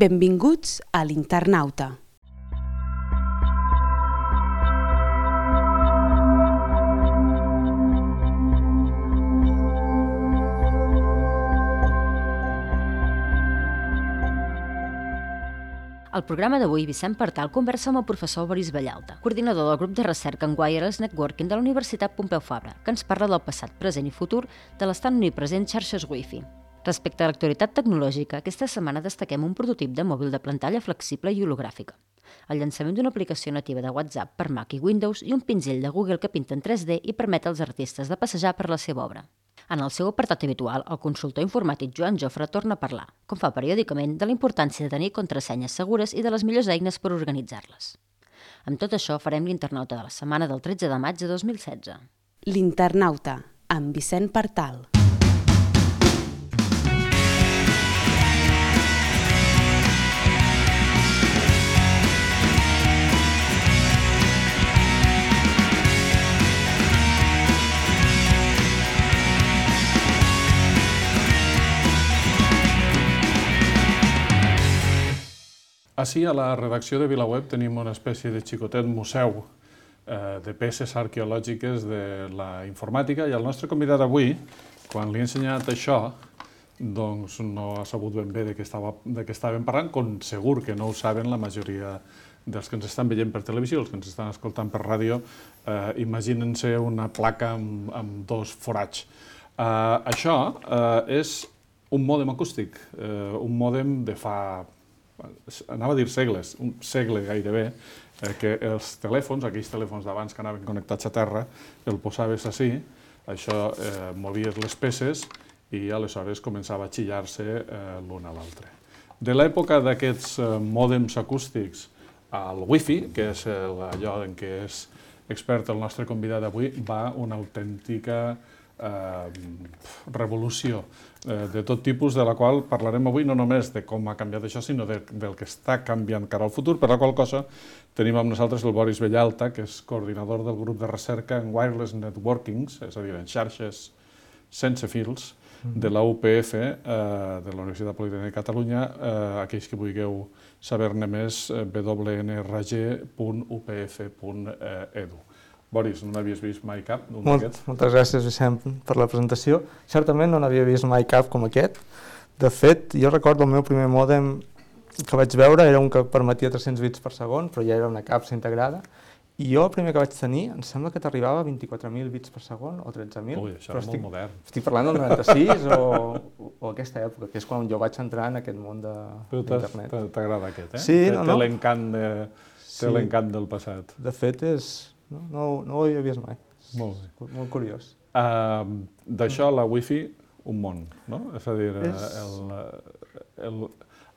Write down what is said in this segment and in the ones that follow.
Benvinguts a l'Internauta. Al programa d'avui, Vicent Partal conversa amb el professor Boris Vallalta, coordinador del grup de recerca en Wireless Networking de la Universitat Pompeu Fabra, que ens parla del passat, present i futur de l'estan omnipresent xarxes Wi-Fi. Respecte a l'actualitat tecnològica, aquesta setmana destaquem un prototip de mòbil de pantalla flexible i hologràfica, el llançament d'una aplicació nativa de WhatsApp per Mac i Windows i un pinzell de Google que pinta en 3D i permet als artistes de passejar per la seva obra. En el seu apartat habitual, el consultor informàtic Joan Jofre torna a parlar, com fa periòdicament, de la importància de tenir contrasenyes segures i de les millors eines per organitzar-les. Amb tot això, farem l'Internauta de la setmana del 13 de maig de 2016. L'Internauta, amb Vicent Partal. Així, a la redacció de VilaWeb tenim una espècie de xicotet museu de peces arqueològiques de la informàtica i el nostre convidat avui, quan li he ensenyat això, doncs no ha sabut ben bé de què estàvem parlant, com segur que no ho saben la majoria dels que ens estan veient per televisió, els que ens estan escoltant per ràdio, imaginen-se una placa amb dos forats. Això és un mòdem acústic, un mòdem de fa... anava a dir segles, un segle gairebé, que els telèfons, aquells telèfons d'abans que anaven connectats a terra, el posaves així, això movies les peces i aleshores començava a xillar-se l'un a l'altre. De l'època d'aquests mòdems acústics al Wi-Fi, que és allò en què és expert el nostre convidat d'avui, va una autèntica revolució de tot tipus, de la qual parlarem avui no només de com ha canviat això, sinó del que està canviant cara al futur, per la qual cosa tenim amb nosaltres el Boris Vallalta, que és coordinador del grup de recerca en Wireless Networking, és a dir, en xarxes sense fils, de la UPF, de la Universitat Politècnica de Catalunya. Aquells que vulgueu saber-ne més, www.upf.edu. Boris, no n'havies vist mai cap d'un d'aquests? Moltes gràcies, Vicent, per la presentació. Certament no n'havia vist mai cap com aquest. De fet, jo recordo el meu primer mòdem que vaig veure era un que permetia 300 bits per segon, però ja era una capsa integrada. I jo el primer que vaig tenir, em sembla que t'arribava a 24.000 bits per segon o 13.000. Ui, això era molt modern. Estic parlant del 96 o aquesta època, que és quan jo vaig entrar en aquest món d'internet. Però t'agrada aquest, eh? Sí, no? Té l'encant del passat. De fet, no ho havia vist mai. Molt bé. Molt curiós. D'això, la Wi-Fi, un món, no? És a dir,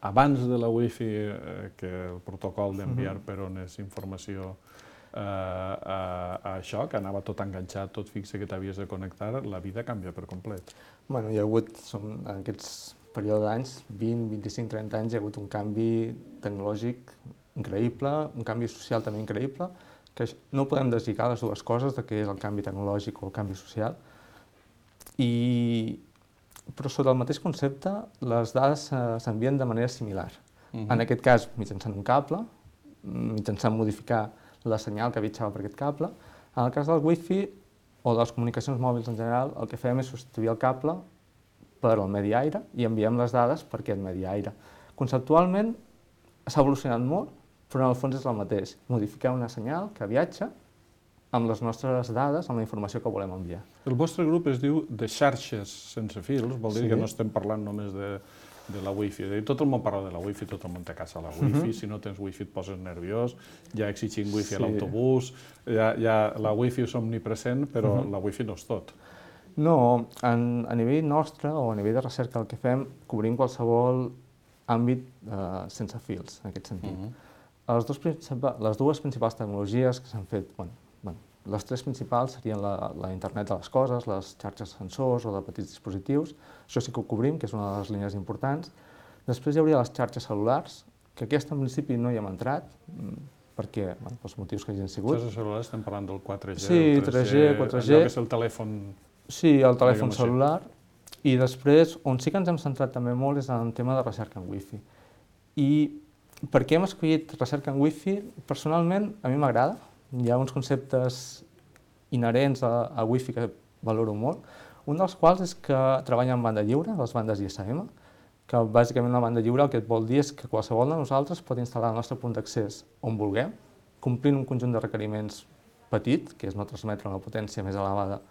abans de la Wi-Fi, que el protocol d'enviar per ones informació a això, que anava tot enganxat, tot fixe, que t'havies de connectar, la vida canvia per complet. Bueno, hi ha hagut, en aquests períodes d'anys, 20, 25, 30 anys, hi ha hagut un canvi tecnològic increïble, un canvi social també increïble, que no podem deslligar les dues coses, de què és el canvi tecnològic o el canvi social. Però sota el mateix concepte, les dades s'envien de manera similar. En aquest cas, mitjançant un cable, mitjançant modificar la senyal que viatjava per aquest cable. En el cas del Wi-Fi o de les comunicacions mòbils en general, el que fem és substituir el cable per el medi aire i enviem les dades per aquest medi aire. Conceptualment s'ha evolucionat molt, però en el fons és el mateix, modificar una senyal que viatja amb les nostres dades, amb la informació que volem enviar. El vostre grup es diu de xarxes sense fils, vol dir que no estem parlant només de la Wi-Fi. Tot el món parla de la Wi-Fi, tot el món té a casa la Wi-Fi, si no tens Wi-Fi et poses nerviós, ja exigint Wi-Fi a l'autobús, la Wi-Fi és omnipresent, però la Wi-Fi no és tot. No, a nivell nostre o a nivell de recerca el que fem, cobrim qualsevol àmbit sense fils, en aquest sentit. Les dues principals tecnologies que s'han fet, les tres principals serien la internet de les coses, les xarxes sensors o de petits dispositius, això sí que ho cobrim, que és una de les línies importants. Després hi hauria les xarxes cel·lulars, que aquesta en principi no hi hem entrat, perquè, pels motius que hagin sigut. Xarxes cel·lulars estem parlant del 4G, sí, 3G, 4G. Allò que és el telèfon... Sí, el telèfon cel·lular. I després, on sí que ens hem centrat també molt és en el tema de recerca en Wi-Fi. I per què hem escollit recerca en Wi-Fi? Personalment, a mi m'agrada. Hi ha uns conceptes inherents a Wi-Fi que valoro molt. Un dels quals és que treballa en banda lliure, les bandes ISM, que bàsicament la banda lliure el que et vol dir és que qualsevol de nosaltres pot instal·lar el nostre punt d'accés on vulguem, complint un conjunt de requeriments petit, que és no transmetre una potència més elevada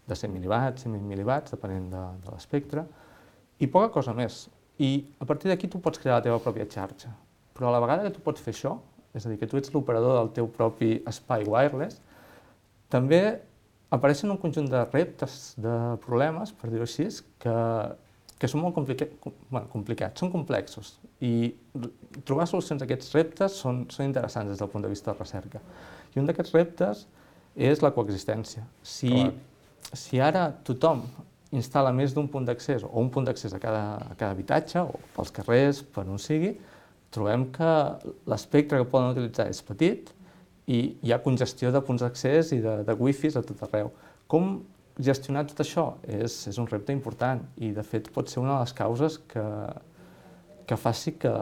de 100 mil·liwatts, 100.000 mil·liwatts, depenent de l'espectre, i poca cosa més. I a partir d'aquí tu pots crear la teva pròpia xarxa. Però a la vegada que tu pots fer això, és a dir, que tu ets l'operador del teu propi espai wireless, també apareixen un conjunt de reptes, de problemes, per dir-ho així, que són molt complicats, són complexos. I trobar solucions a aquests reptes són interessants des del punt de vista de recerca. I un d'aquests reptes és la coexistència. Si ara tothom instal·la més d'un punt d'accés, o un punt d'accés a cada habitatge, o pels carrers, per on sigui, trobem que l'espectre que poden utilitzar és petit i hi ha congestió de punts d'accés i de wifis a tot arreu. Com gestionar tot això és un repte important i, de fet, pot ser una de les causes que faci que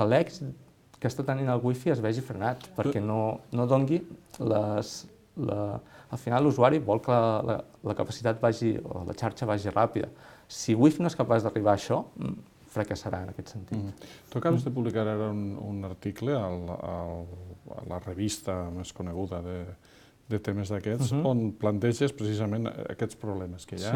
l'èxit que està tenint el Wi-Fi es vegi frenat, perquè no doni al final l'usuari vol que la capacitat vagi, o la xarxa vagi ràpida. Si Wi-Fi no és capaç d'arribar a això, fracassarà en aquest sentit. Tu acabes de publicar ara un article a la revista més coneguda de temes d'aquests, on planteges precisament aquests problemes que hi ha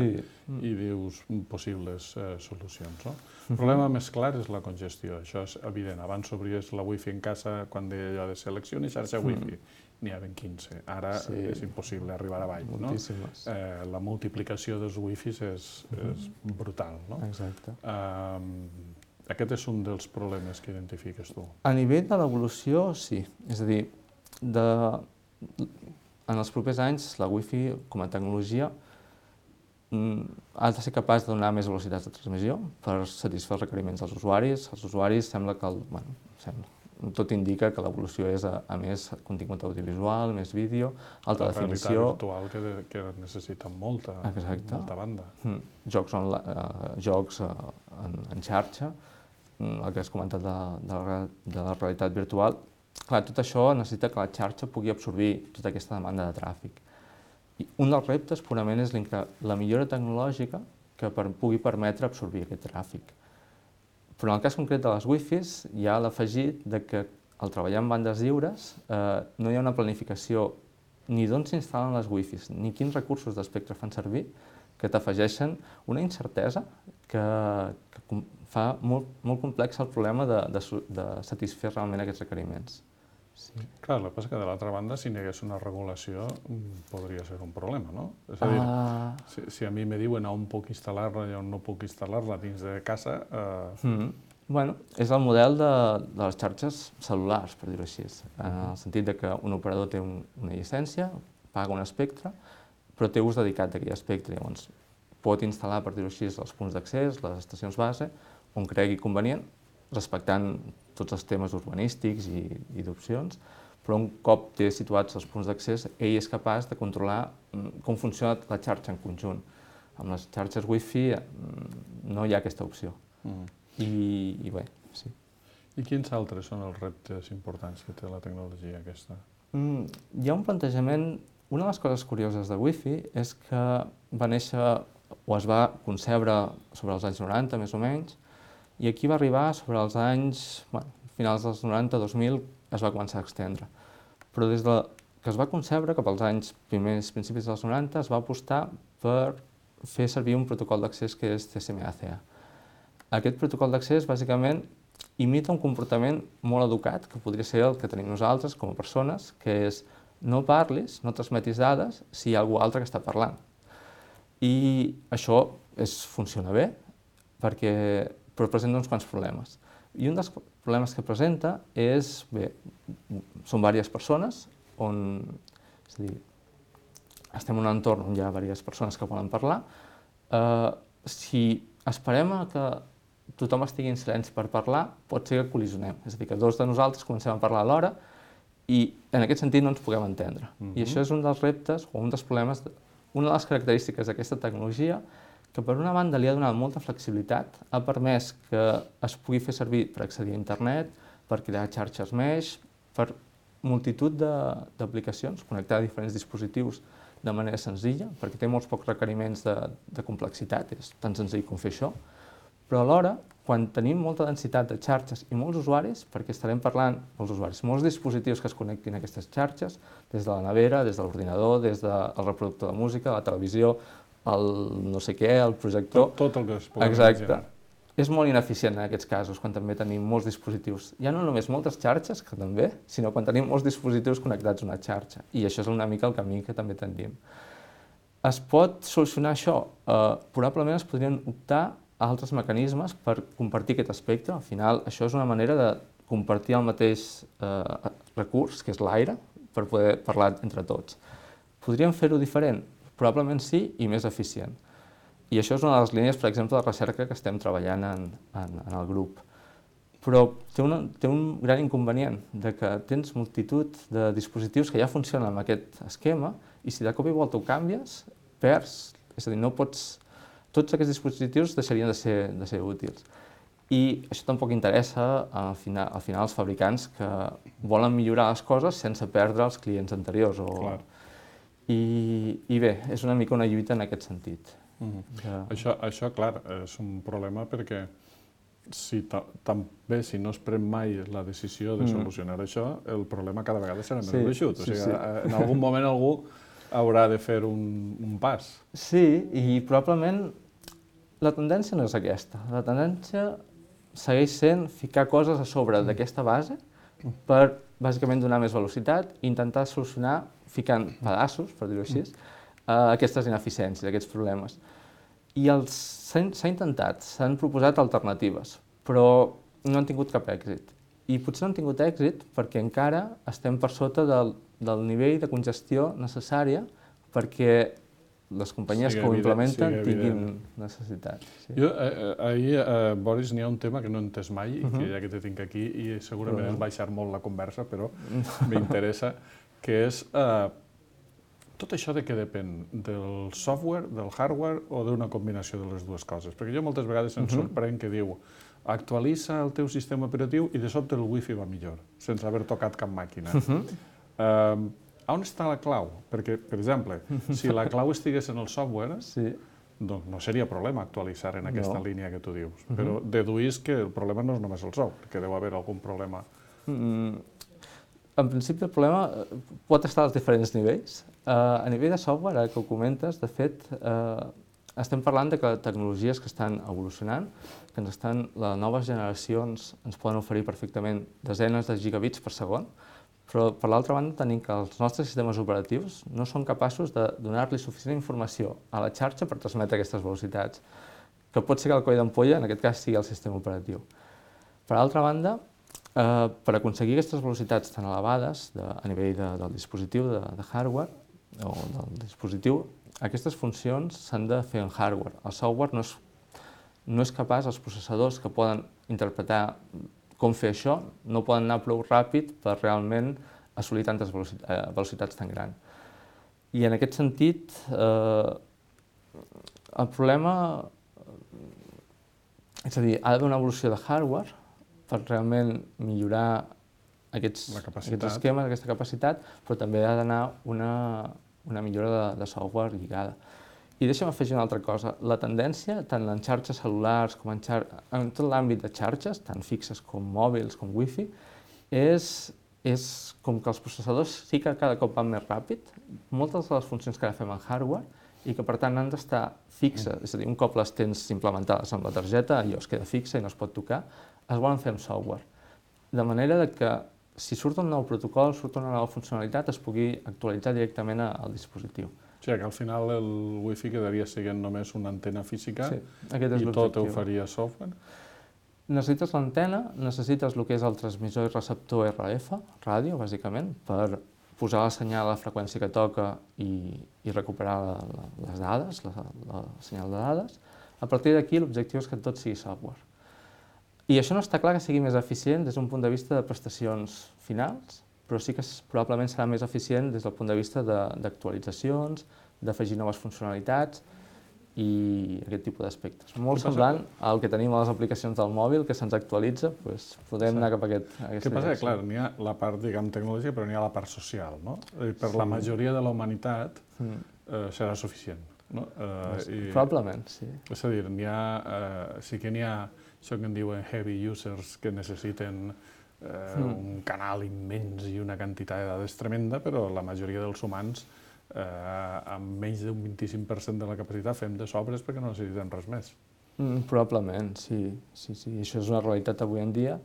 i dius possibles solucions. El problema més clar és la congestió, això és evident. Abans s'obries la Wi-Fi en casa quan deia allò de seleccioni xarxa Wi-Fi. N'hi havia 15. Ara és impossible arribar avall. La multiplicació dels Wi-Fis és brutal. Exacte. Aquest és un dels problemes que identifiques tu. A nivell de l'evolució, sí. És a dir, en els propers anys la Wi-Fi com a tecnologia ha de ser capaç de donar més velocitats de transmissió per satisfer els requeriments dels usuaris. Els usuaris sembla que tot indica que l'evolució és a més contingut audiovisual, més vídeo, alta definició... La realitat virtual que necessita molta banda. Jocs en xarxa, el que has comentat de la realitat virtual. Clar, tot això necessita que la xarxa pugui absorbir tota aquesta demanda de tràfic. I un dels reptes purament és la millora tecnològica que pugui permetre absorbir aquest tràfic. Però en el cas concret de les Wi-Fis hi ha l'afegit que al treballar en bandes lliures no hi ha una planificació ni d'on s'instal·len les Wi-Fis, ni quins recursos d'espectre fan servir, que t'afegeixen una incertesa que fa molt complex el problema de satisfer realment aquests requeriments. Clar, el que passa és que de l'altra banda, si n'hi hagués una regulació, podria ser un problema, no? És a dir, si a mi me diuen on puc instal·lar-la i on no puc instal·lar-la dins de casa... Bueno, és el model de les xarxes cel·lulars, per dir-ho així, en el sentit que un operador té una llicència, paga un espectre, però té ús dedicat d'aquell espectre. Llavors, pot instal·lar, per dir-ho així, els punts d'accés, les estacions base, on cregui convenient, respectant tots els temes urbanístics i d'opcions, però un cop té situats els punts d'accés, ell és capaç de controlar com funciona la xarxa en conjunt. Amb les xarxes Wi-Fi no hi ha aquesta opció. I bé, sí. I quins altres són els reptes importants que té la tecnologia aquesta? Hi ha un plantejament... Una de les coses curioses de Wi-Fi és que va néixer o es va concebre sobre els anys 90, més o menys, i aquí va arribar sobre els anys, finals dels 90, 2000, es va començar a extendre. Però des que es va concebre, cap als anys principis dels 90, es va apostar per fer servir un protocol d'accés que és TCM/ACA. Aquest protocol d'accés, bàsicament, imita un comportament molt educat, que podria ser el que tenim nosaltres com a persones, que és no parlis, no transmetis dades si hi ha algú altre que està parlant. I això funciona bé, però presenta uns quants problemes. I un dels problemes que presenta és, són diverses persones, és a dir, estem en un entorn on hi ha diverses persones que volen parlar. Si esperem que tothom estigui en silenci per parlar, pot ser que col·lisionem. És a dir, que dos de nosaltres comencem a parlar alhora i en aquest sentit no ens puguem entendre. I això és un dels reptes o un dels problemes, una de les característiques d'aquesta tecnologia que per una banda li ha donat molta flexibilitat, ha permès que es pugui fer servir per accedir a internet, per crear xarxes mesh, per multitud d'aplicacions, connectar diferents dispositius de manera senzilla, perquè té molts pocs requeriments de complexitat, és tan senzill com fer això, però alhora, quan tenim molta densitat de xarxes i molts usuaris, perquè estarem parlant, molts dispositius que es connectin a aquestes xarxes, des de la nevera, des de l'ordinador, des del reproductor de música, la televisió, el no sé què, el projector... Tot el que es pugui imaginar. És molt ineficient en aquests casos, quan també tenim molts dispositius. Ja no només moltes xarxes, que també, sinó quan tenim molts dispositius connectats a una xarxa. I això és una mica el camí que també tendim. Es pot solucionar això? Probablement es podrien optar a altres mecanismes per compartir aquest espectre. Al final, això és una manera de compartir el mateix recurs, que és l'aire, per poder parlar entre tots. Podríem fer-ho diferent? Probablement sí, i més eficient. I això és una de les línies, per exemple, de recerca que estem treballant en el grup. Però té un gran inconvenient, de que tens multitud de dispositius que ja funcionen amb aquest esquema i si de cop i volta ho canvies, perds. És a dir, no pots... Tots aquests dispositius deixarien de ser útils. I això tampoc interessa al final als fabricants que volen millorar les coses sense perdre els clients anteriors. I bé, és una mica una lluita en aquest sentit. Això, clar, és un problema perquè també si no es pren mai la decisió de solucionar això, el problema cada vegada serà més gruixut. O sigui, en algun moment algú haurà de fer un pas. Sí, i probablement la tendència no és aquesta. La tendència segueix sent ficar coses a sobre d'aquesta base per, bàsicament, donar més velocitat i intentar solucionar, ficant pedaços, per dir-ho així, aquestes ineficiències, aquests problemes. I s'ha intentat, s'han proposat alternatives, però no han tingut cap èxit. I potser no han tingut èxit perquè encara estem per sota del nivell de congestió necessària perquè les companyies que ho implementen tinguin necessitat. Ahir, Boris, n'hi ha un tema que no he entès mai, i que ja que te tinc aquí, i segurament és baixar molt la conversa, però m'interessa, que és tot això de què depèn? Del software, del hardware o d'una combinació de les dues coses? Perquè jo moltes vegades em sorprèn que diu actualitza el teu sistema operatiu i de sobte el wifi va millor, sense haver tocat cap màquina. On està la clau? Perquè, per exemple, si la clau estigués en el software, doncs no seria problema actualitzar en aquesta línia que tu dius. Però deduís que el problema no és només el software, que deu haver algun problema. En principi, el problema pot estar als diferents nivells. A nivell de software, ara que ho comentes, de fet, estem parlant de que tecnologies que estan evolucionant, que les noves generacions ens poden oferir perfectament desenes de gigabits per segon, però per l'altra banda tenim que els nostres sistemes operatius no són capaços de donar-li suficient informació a la xarxa per transmetre aquestes velocitats, que pot ser que el coll d'ampolla, en aquest cas, sigui el sistema operatiu. Per altra banda, per aconseguir aquestes velocitats tan elevades a nivell del dispositiu de hardware o del dispositiu, aquestes funcions s'han de fer en hardware. El software no és capaç, els processadors que poden interpretar com fer això, no poden anar prou ràpid per realment assolir tantes velocitats tan grans. I en aquest sentit, el problema, és a dir, ha d'haver una evolució de hardware per realment millorar aquests esquemes, aquesta capacitat, però també ha d'anar una millora de software lligada. I deixa'm afegir una altra cosa. La tendència, tant en xarxes cel·lulars com en tot l'àmbit de xarxes, tant fixes com mòbils com wifi, és com que els processadors sí que cada cop van més ràpid, moltes de les funcions que ara fem en hardware, i que per tant han d'estar fixes, és a dir, un cop les tens implementades amb la targeta, allò es queda fixa i no es pot tocar, es volen fer amb software. De manera que si surt un nou protocol, surt una nova funcionalitat, es pugui actualitzar directament al dispositiu. O sigui que al final el wifi quedaria sent només una antena física i tot ho faria software? Necessites l'antena, necessites el que és el transmissor i receptor RF, ràdio, bàsicament, per posar el senyal a la freqüència que toca i recuperar les dades, el senyal de dades. A partir d'aquí l'objectiu és que tot sigui software. I això no està clar que sigui més eficient des d'un punt de vista de prestacions finals, però sí que probablement serà més eficient des del punt de vista d'actualitzacions, d'afegir noves funcionalitats i aquest tipus d'aspectes. Molt semblant al que tenim a les aplicacions del mòbil, que se'ns actualitza, doncs podem anar cap a aquesta direcció. Què passa? Clar, n'hi ha la part, diguem, tecnològica, però n'hi ha la part social, no? Per la majoria de la humanitat serà suficient, no? Probablement, sí. És a dir, sí que n'hi ha això que en diuen heavy users que necessiten un canal immens i una quantitat de dades tremenda, però la majoria dels humans amb menys d'un 25% de la capacitat fem de sobres perquè no necessitem res més. Probablement, sí. Això és una realitat avui en dia.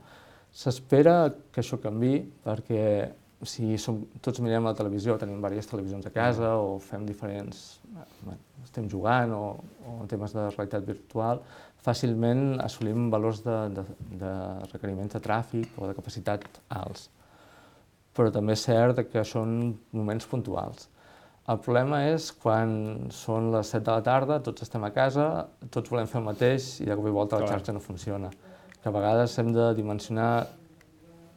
S'espera que això canviï perquè si tots mirem la televisió, tenim diverses televisions a casa o fem diferents... estem jugant o temes de realitat virtual, fàcilment assolim valors de requeriments de tràfic o de capacitat alts. Però també és cert que són moments puntuals. El problema és quan són les 7 de la tarda, tots estem a casa, tots volem fer el mateix i de cop i volta la xarxa no funciona. Que a vegades hem de dimensionar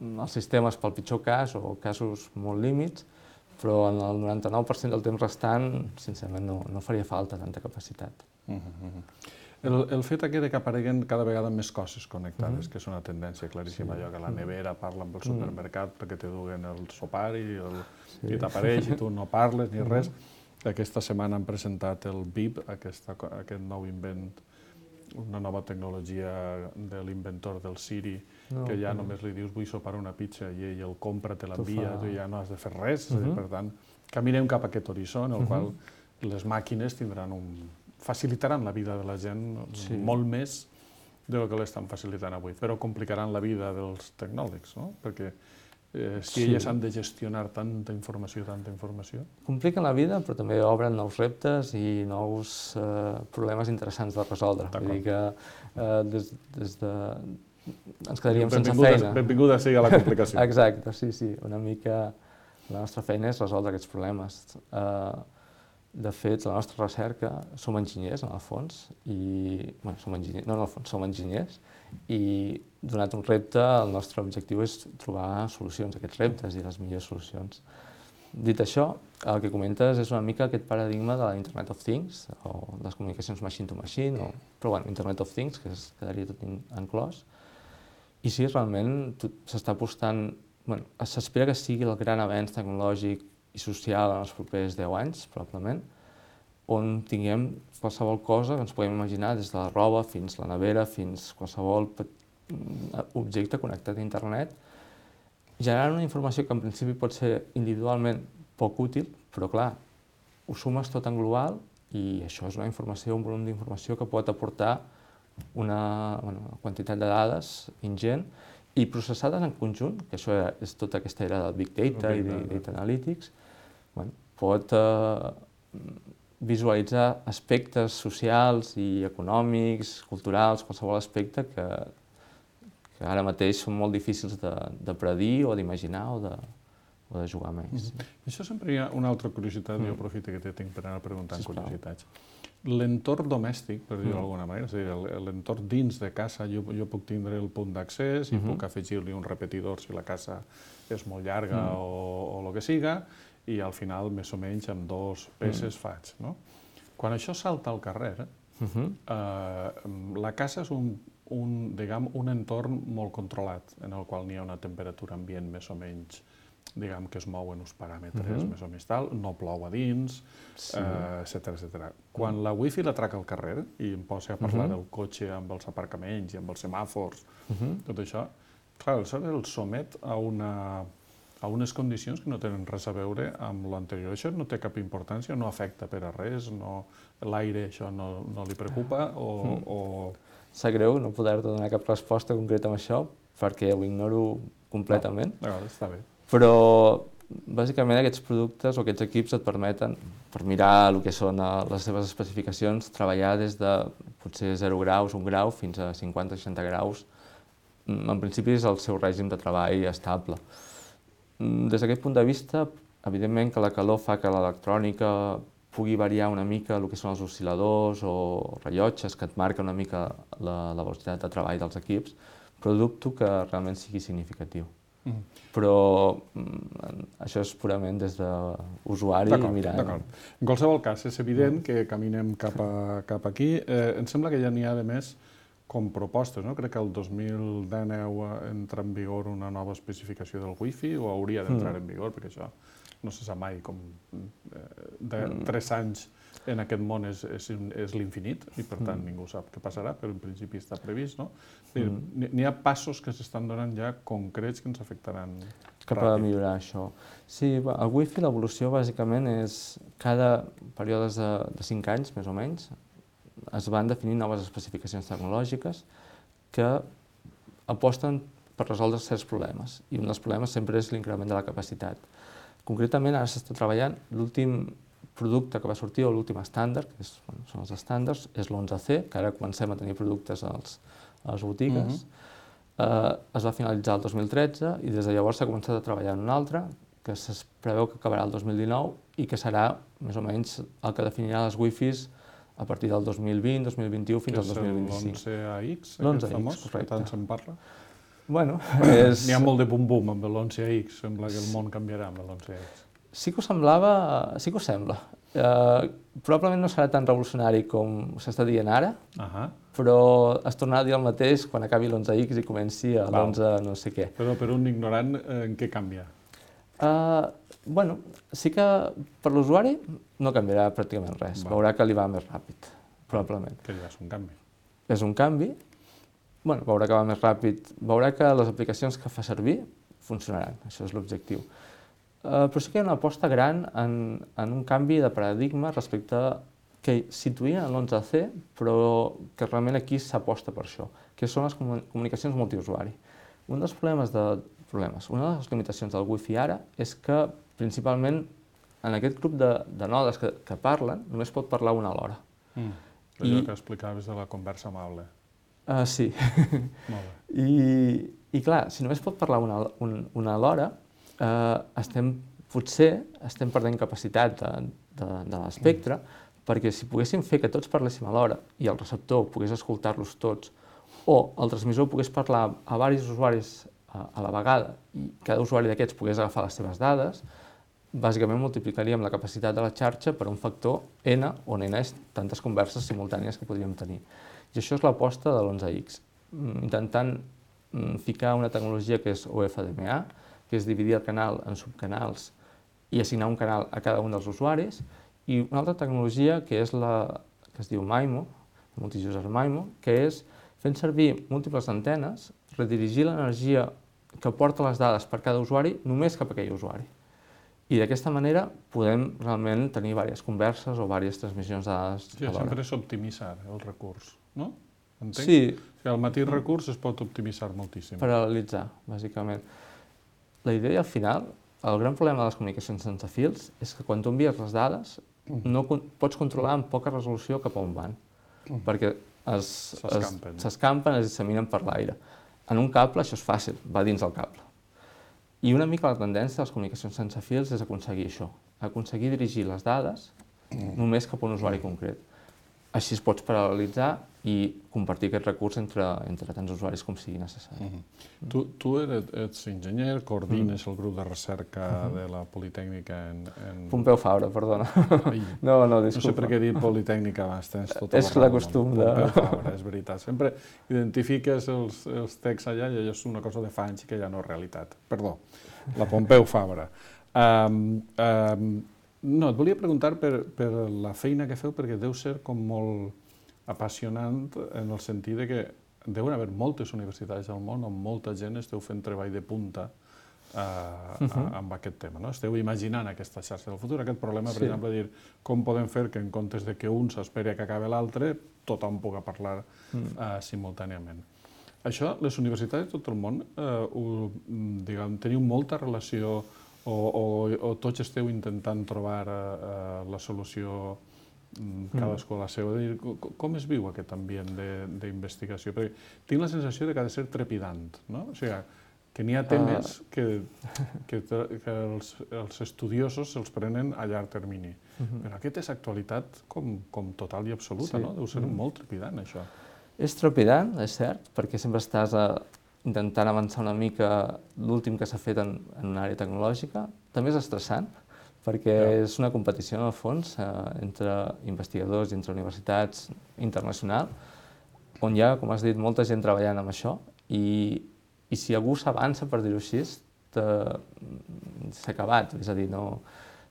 els sistemes pel pitjor cas o casos molt límits, però en el 99% del temps restant, sincerament, no faria falta tanta capacitat. El fet de que apareguen cada vegada més coses connectades, que és una tendència claríssima, allò que la nevera parla amb el supermercat perquè te duguen el sopar i t'apareix i tu no parles ni res. Aquesta setmana han presentat el BIP, aquest nou invent, una nova tecnologia de l'inventor del Siri, que ja només li dius vull sopar una pizza i ell el compra, te l'envia, tu ja no has de fer res. Per tant, caminem cap a aquest horitzó en el qual les màquines facilitaran la vida de la gent molt més del que l'estan facilitant avui, però complicaran la vida dels tecnòlegs, no? Perquè si elles han de gestionar tanta informació... Compliquen la vida, però també obren nous reptes i nous problemes interessants de resoldre. Vull dir que ens quedaríem sense feina. Benvinguda sigui a la complicació. Exacte, sí. Una mica la nostra feina és resoldre aquests problemes. De fet, la nostra recerca, som enginyers, en el fons, som enginyers, i donat un repte, el nostre objectiu és trobar solucions a aquests reptes i les millors solucions. Dit això, el que comentes és una mica aquest paradigma de la Internet of Things, o les comunicacions machine to machine, però Internet of Things, que quedaria tot inclòs. I sí, realment s'està apostant, s'espera que sigui el gran avenç tecnològic i social en els propers 10 anys, probablement, on tinguem qualsevol cosa que ens podem imaginar, des de la roba fins la nevera, fins qualsevol objecte connectat a internet, generant una informació que en principi pot ser individualment poc útil, però clar, ho sumes tot en global i això és una informació, un volum d'informació que pot aportar una quantitat de dades ingent i processades en conjunt, que això és tota aquesta era del Big Data i Data Analytics, pot visualitzar aspectes socials i econòmics, culturals, qualsevol aspecte que ara mateix són molt difícils de predir o d'imaginar o de jugar més. Això sempre hi ha una altra curiositat, jo aprofito que tinc per anar preguntant curiositats. L'entorn domèstic, per dir-ho d'alguna manera, és a dir, l'entorn dins de casa, jo puc tindre el punt d'accés i puc afegir-li un repetidor si la casa és molt llarga o el que siga, i al final, més o menys, amb 2 peces faig. Quan això salta al carrer, la casa és un entorn molt controlat, en el qual n'hi ha una temperatura ambient més o menys, que es mou en uns paràmetres més o menys tal, no plou a dins, etcètera. Quan la wifi la traca al carrer i em posa a parlar del cotxe amb els aparcaments i amb els semàfors, tot això, clar, el somet a unes condicions que no tenen res a veure amb l'anterior. Això no té cap importància, no afecta per a res, l'aire això no li preocupa o... Sap greu no poder-te donar cap resposta concreta amb això, perquè ho ignoro completament. Està bé. Però, bàsicament, aquests productes o aquests equips et permeten, per mirar el que són les seves especificacions, treballar des de potser 0 graus, 1 grau, fins a 50-60 graus. En principi és el seu règim de treball estable. Des d'aquest punt de vista, evidentment que la calor fa que l'electrònica pugui variar una mica el que són els oscil·ladors o rellotges que et marquen una mica la velocitat de treball dels equips, però dubto que realment sigui significatiu. Però això és purament des d'usuari mirant. D'acord. En qualsevol cas, és evident que caminem cap aquí. Em sembla que ja n'hi ha, de més, com propostes, no? Crec que el 2019 entra en vigor una nova especificació del Wi-Fi, o hauria d'entrar en vigor, perquè això no se sap mai, com de 3 anys en aquest món és l'infinit, i per tant ningú sap què passarà, però en principi està previst, no? N'hi ha passos que s'estan donant ja concrets que ens afectaran cap a millorar això. Sí, el Wi-Fi, l'evolució bàsicament és cada períodes de 5 anys, més o menys, es van definir noves especificacions tecnològiques que aposten per resoldre certs problemes, i un dels problemes sempre és l'increment de la capacitat. Concretament, ara s'està treballant, l'últim producte que va sortir, o l'últim estàndard, que són els estàndards, és l'11C, que ara comencem a tenir productes a les botigues. Es va finalitzar el 2013 i des de llavors s'ha començat a treballar en un altre, que es preveu que acabarà el 2019 i que serà més o menys el que definirà les Wi-Fis a partir del 2020, 2021 fins al 2025. L'11AX, L'11AX, famós, que correcte. tant se'n parla. Bueno, N'hi ha molt de bum-bum amb l'11AX, sembla que el món canviarà amb l'11AX. Sí que ho semblava, sí que ho sembla. Probablement no serà tan revolucionari com s'està dient ara, però es tornarà a dir el mateix quan acabi l'11X i comenci l'11 no sé què. Però per un ignorant, en què canvia? Bueno, sí que per l'usuari no canviarà pràcticament res. Veurà que li va més ràpid, probablement. Que ja és un canvi. És un canvi. Bueno, veurà que va més ràpid. Veurà que les aplicacions que fa servir funcionaran. Això és l'objectiu. Però sí que hi ha una aposta gran en un canvi de paradigma respecte a que situïen en l'11C, però que realment aquí s'aposta per això, que són les comunicacions multiusuari. Una de les limitacions del Wi-Fi ara és que, principalment, en aquest grup de nodes que parlen, només pot parlar una alhora. Allò que explicaves de la conversa amable. Sí. Molt bé. I clar, si només pot parlar una alhora, potser estem perdent capacitat de l'espectre, perquè si poguéssim fer que tots parléssim alhora i el receptor pogués escoltar-los tots, o el transmissor pogués parlar a diversos usuaris a la vegada i cada usuari d'aquests pogués agafar les seves dades, bàsicament multiplicaríem la capacitat de la xarxa per un factor n, on n és tantes converses simultànies que podríem tenir. I això és l'aposta de l'11X, intentant ficar una tecnologia que és OFDMA, que és dividir el canal en subcanals i assignar un canal a cada un dels usuaris, i una altra tecnologia que és que es diu MIMO, Multi-User MIMO, que és fent servir múltiples antenes, redirigir l'energia que porta les dades per cada usuari només cap a aquell usuari. I d'aquesta manera podem realment tenir diverses converses o diverses transmissions de dades alhora. Sempre és optimitzar el recurs, no? Entenc? Sí. El mateix recurs es pot optimitzar moltíssim. Paral·lelitzar, bàsicament. La idea, al final, el gran problema de les comunicacions sense fils és que quan tu envies les dades no pots controlar amb poca resolució cap a on van, perquè s'escampen, es disseminen per l'aire. En un cable això és fàcil, va dins del cable. I una mica la tendència de les comunicacions sense fils és aconseguir això, aconseguir dirigir les dades només cap a un usuari concret. Així es pots paral·lelitzar i compartir aquest recurs entre tants usuaris com sigui necessari. Tu ets enginyer, coordines el grup de recerca de la Politècnica en... Pompeu Fabra, perdona. No, disculpa. No sé per què he dit Politècnica abans, tens tota la raó. És la costum de... Pompeu Fabra, és veritat. Sempre identifiques els texts allà i allò és una cosa de fa anys que ja no és realitat. Perdó, la Pompeu Fabra. No, et volia preguntar per la feina que feu, perquè deu ser com molt apassionant en el sentit que deuen haver moltes universitats al món on molta gent esteu fent treball de punta amb aquest tema. Esteu imaginant aquesta xarxa del futur, aquest problema, per exemple, de dir com podem fer que en comptes de que un s'esperi que acabi l'altre, tothom pugui parlar simultàniament. Això, les universitats de tot el món, teniu molta relació o tots esteu intentant trobar la solució cadascú a la seva? Com es viu aquest ambient d'investigació? Perquè tinc la sensació que ha de ser trepidant, no? O sigui, que n'hi ha temes que els estudiosos se'ls prenen a llarg termini. Però aquest és actualitat com total i absoluta, no? Deu ser molt trepidant, això. És trepidant, és cert, perquè sempre estàs intentant avançar una mica l'últim que s'ha fet en una àrea tecnològica. També és estressant, perquè és una competició, en el fons, entre investigadors i entre universitats internacional, on hi ha, com has dit, molta gent treballant amb això, i si algú s'avança, per dir-ho així, s'ha acabat. És a dir,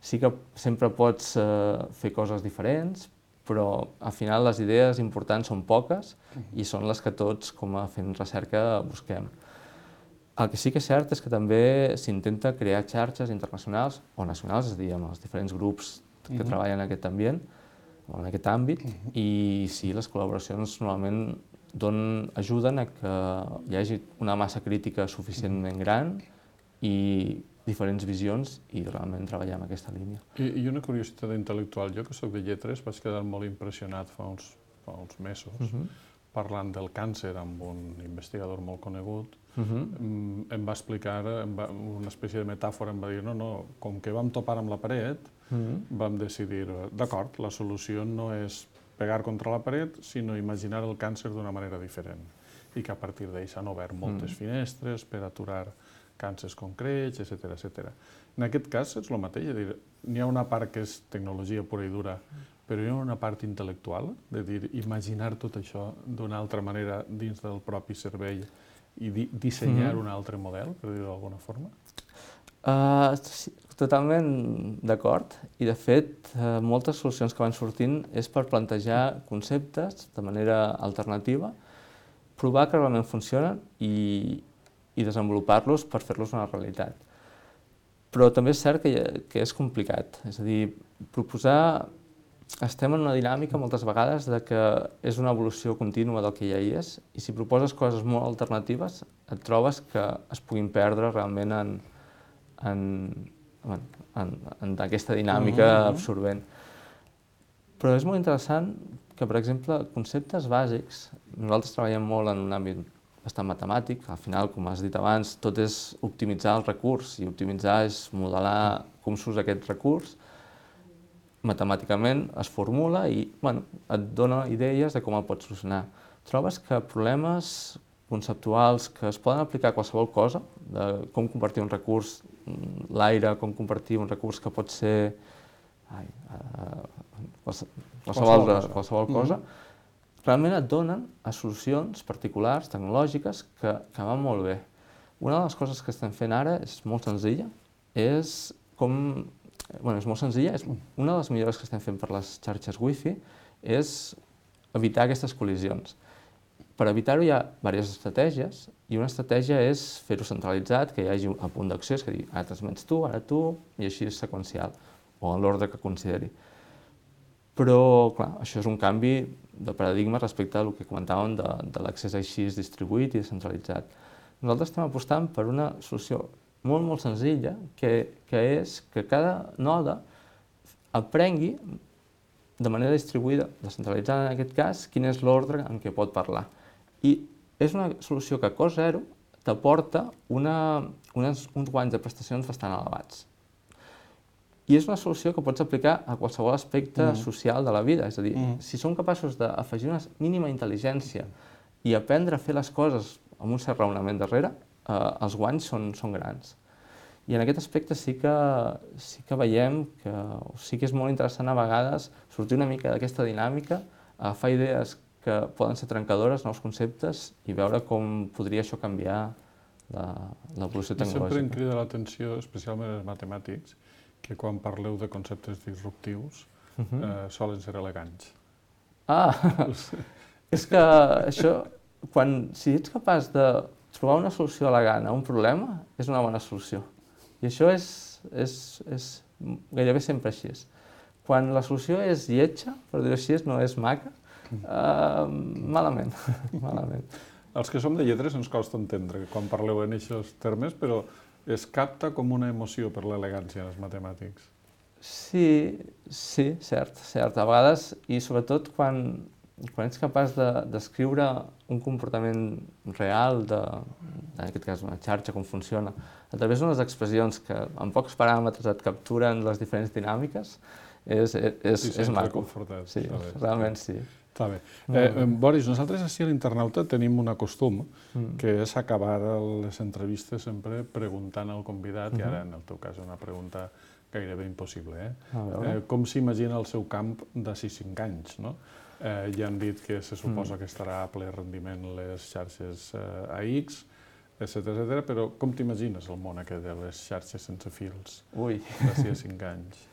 sí que sempre pots fer coses diferents, però al final les idees importants són poques i són les que tots, com a fent recerca, busquem. El que sí que és cert és que també s'intenta crear xarxes internacionals o nacionals, és a dir, amb els diferents grups que treballen en aquest ambient, o en aquest àmbit, i sí, les col·laboracions normalment ajuden a que hi hagi una massa crítica suficientment gran i diferents visions i realment treballar en aquesta línia. I una curiositat intel·lectual. Jo, que soc de lletres, vaig quedar molt impressionat fa uns mesos parlant del càncer amb un investigador molt conegut. Em va explicar una espècie de metàfora, em va dir, com que vam topar amb la paret, vam decidir, d'acord, la solució no és pegar contra la paret, sinó imaginar el càncer d'una manera diferent. I que a partir d'ell s'han obert moltes finestres per aturar càncers concrets, etc. En aquest cas és el mateix, n'hi ha una part que és tecnologia pura i dura, però hi ha una part intel·lectual, de dir, imaginar tot això d'una altra manera dins del propi cervell i dissenyar un altre model, per dir-ho d'alguna forma? Totalment d'acord, i de fet moltes solucions que van sortint és per plantejar conceptes de manera alternativa, provar que realment funcionen i desenvolupar-los per fer-los una realitat. Però també és cert que és complicat, és a dir, estem en una dinàmica moltes vegades de que és una evolució contínua del que ja hi és, i si proposes coses molt alternatives et trobes que es puguin perdre realment en aquesta dinàmica absorbent. Però és molt interessant que, per exemple, conceptes bàsics, nosaltres treballem molt en un àmbit bastant matemàtic, al final, com has dit abans, tot és optimitzar el recurs, i optimitzar és modelar com s'usa aquest recurs, matemàticament es formula i et dona idees de com el pots solucionar. Trobes que problemes conceptuals que es poden aplicar a qualsevol cosa, de com convertir un recurs, l'aire, com convertir un recurs que pot ser qualsevol cosa, realment et donen a solucions particulars, tecnològiques, que van molt bé. Una de les coses que estem fent ara és molt senzilla, és una de les millores que estem fent per les xarxes Wi-Fi és evitar aquestes col·lisions. Per evitar-ho hi ha diverses estratègies, i una estratègia és fer-ho centralitzat, que hi hagi un punt d'acció, és a dir, ara transmets tu, ara tu, i així és seqüencial, o en l'ordre que consideri. Però, clar, això és un canvi de paradigma respecte al que comentàvem de l'accés així distribuït i descentralitzat. Nosaltres estem apostant per una solució molt, molt senzilla, que és que cada node aprengui de manera distribuïda, descentralitzada en aquest cas, quin és l'ordre en què pot parlar. I és una solució que a cost zero t'aporta uns guanys de prestacions bastant elevats. I és una solució que pots aplicar a qualsevol aspecte social de la vida. És a dir, si som capaços d'afegir una mínima intel·ligència i aprendre a fer les coses amb un cert raonament darrere, els guanys són grans. I en aquest aspecte sí que veiem que sí que és molt interessant a vegades sortir una mica d'aquesta dinàmica, agafar idees que poden ser trencadores, nous conceptes, i veure com podria això canviar l'evolució tecnològica. Sempre em crida l'atenció, especialment els matemàtics, que quan parleu de conceptes disruptius solen ser elegants. És que això, si ets capaç de trobar una solució elegant a un problema, és una bona solució. I això és gairebé sempre així. Quan la solució és lletja, per dir-ho així, no és maca, malament. Els que som de lletres ens costa entendre quan parleu en aquests termes, però es capta com una emoció per l'elegància dels matemàtics. Sí, cert. A vegades, i sobretot quan ets capaç de descriure un comportament real, en aquest cas una xarxa, com funciona, a través d'unes expressions que amb pocs paràmetres et capturen les diferents dinàmiques, és maco. Sí, realment sí. Està bé. Boris, nosaltres així a l'Internauta tenim un costum, que és acabar les entrevistes sempre preguntant al convidat, i ara en el teu cas una pregunta gairebé impossible. Com s'imagina el seu camp d'ací 5 anys? Ja han dit que se suposa que estarà a ple rendiment les xarxes AX, etcètera, però com t'imagines el món aquest de les xarxes sense fils d'ací a 5 anys?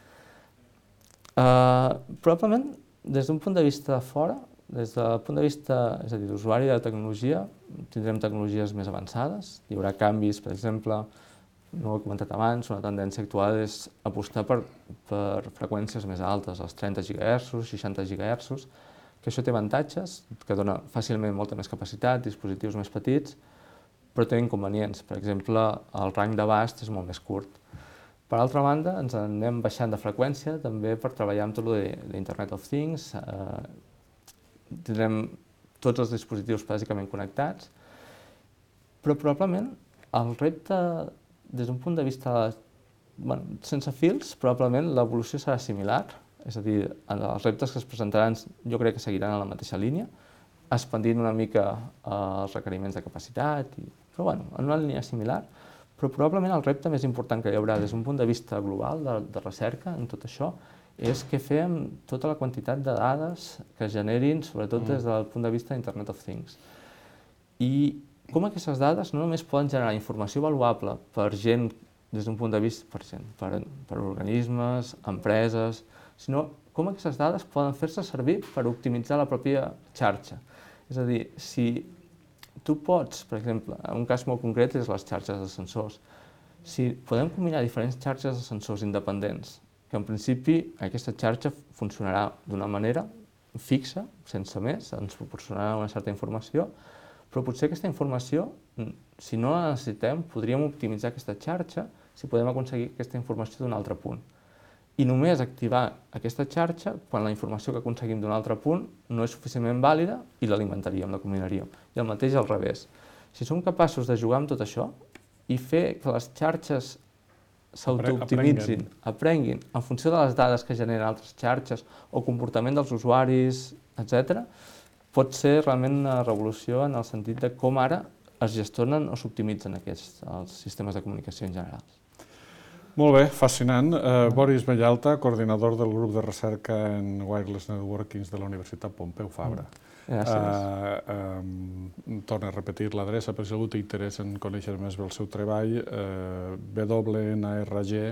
Probablement, des d'un punt de vista de fora, des del punt de vista, és a dir, d'usuari de tecnologia, tindrem tecnologies més avançades, hi haurà canvis, per exemple, no ho he comentat abans, una tendència actual és apostar per freqüències més altes, els 30 GHz, 60 GHz, que això té avantatges, que dona fàcilment molta més capacitat, dispositius més petits, però té inconvenients. Per exemple, el rang d'abast és molt més curt. Per altra banda, ens anem baixant de freqüència també per treballar amb tot l'Internet of Things. Tindrem tots els dispositius bàsicament connectats, però probablement el repte, des d'un punt de vista sense fils, probablement l'evolució serà similar, és a dir, els reptes que es presentaran jo crec que seguiran en la mateixa línia, expandint una mica els requeriments de capacitat, però en una línia similar. Però probablement el repte més important que hi haurà des d'un punt de vista global de recerca en tot això és què fer amb tota la quantitat de dades que es generin, sobretot des del punt de vista d'Internet of Things. I com aquestes dades no només poden generar informació valuable per gent des d'un punt de vista, per organismes, empreses, sinó com aquestes dades poden fer-se servir per optimitzar la pròpia xarxa. És a dir, si tu pots, per exemple, un cas molt concret és les xarxes de sensors. Si podem combinar diferents xarxes de sensors independents, que en principi aquesta xarxa funcionarà d'una manera fixa, sense més, ens proporcionarà una certa informació, però potser aquesta informació, si no la necessitem, podríem optimitzar aquesta xarxa si podem aconseguir aquesta informació d'un altre punt. I només activar aquesta xarxa quan la informació que aconseguim d'un altre punt no és suficientment vàlida i l'alimentaríem, la combinaríem. I el mateix al revés. Si som capaços de jugar amb tot això i fer que les xarxes s'autooptimitzin, aprenguin en funció de les dades que generen altres xarxes o comportament dels usuaris, etc., pot ser realment una revolució en el sentit de com ara es gestionen o s'optimitzen els sistemes de comunicació en general. Molt bé, fascinant. Boris Bellalta, coordinador del grup de recerca en Wireless Networkings de la Universitat Pompeu Fabra. Gràcies. Torno a repetir l'adreça per si algú té interès en conèixer més el seu treball, wnrg.upf.edu.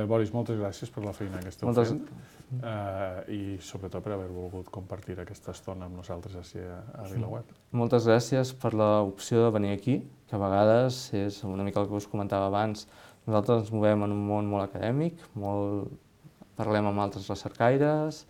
Boris, moltes gràcies per la feina que esteu fent i sobretot per haver volgut compartir aquesta estona amb nosaltres a VilaWeb. Moltes gràcies per l'opció de venir aquí, que a vegades és una mica el que us comentava abans. Nosaltres ens movem en un món molt acadèmic, parlem amb altres recercaires,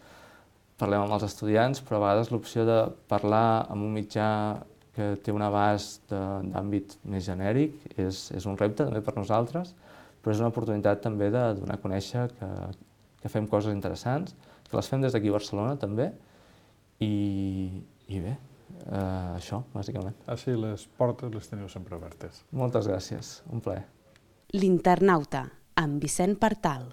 parlem amb els estudiants, però a vegades l'opció de parlar amb un mitjà que té un abast d'àmbit més genèric és un repte també per nosaltres, però és una oportunitat també de donar a conèixer que fem coses interessants, que les fem des d'aquí a Barcelona també, i bé, això, bàsicament. Així les portes les teniu sempre obertes. Moltes gràcies, un plaer. L'Internauta, amb Vicent Partal.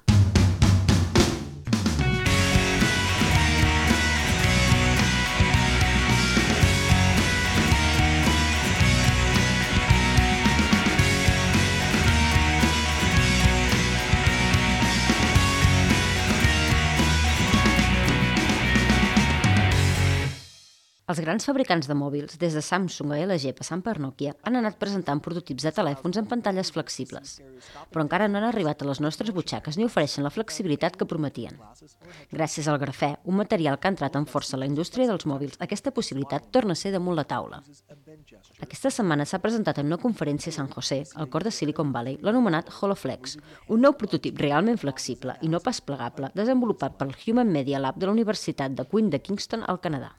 Els grans fabricants de mòbils, des de Samsung a LG passant per Nokia, han anat presentant prototips de telèfons amb pantalles flexibles. Però encara no han arribat a les nostres butxaques ni ofereixen la flexibilitat que prometien. Gràcies al grafè, un material que ha entrat amb força a la indústria dels mòbils, aquesta possibilitat torna a ser damunt la taula. Aquesta setmana s'ha presentat en una conferència a San José, al cor de Silicon Valley, l'anomenat HoloFlex, un nou prototip realment flexible i no pas plegable, desenvolupat pel Human Media Lab de la Universitat de Queen de Kingston, al Canadà.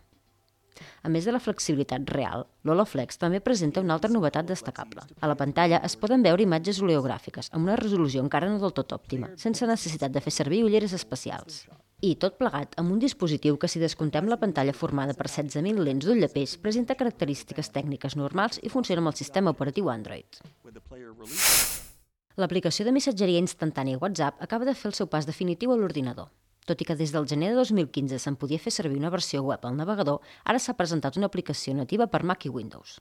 A més de la flexibilitat real, l'HoloFlex també presenta una altra novetat destacable. A la pantalla es poden veure imatges oleogràfiques amb una resolució encara no del tot òptima, sense necessitat de fer servir ulleres especials. I tot plegat amb un dispositiu que, si descomptem la pantalla formada per 16.000 lents d'ull de peix, presenta característiques tècniques normals i funciona amb el sistema operatiu Android. L'aplicació de missatgeria instantània WhatsApp acaba de fer el seu pas definitiu a l'ordinador. Tot i que des del gener de 2015 se'n podia fer servir una versió web al navegador, ara s'ha presentat una aplicació nativa per Mac i Windows.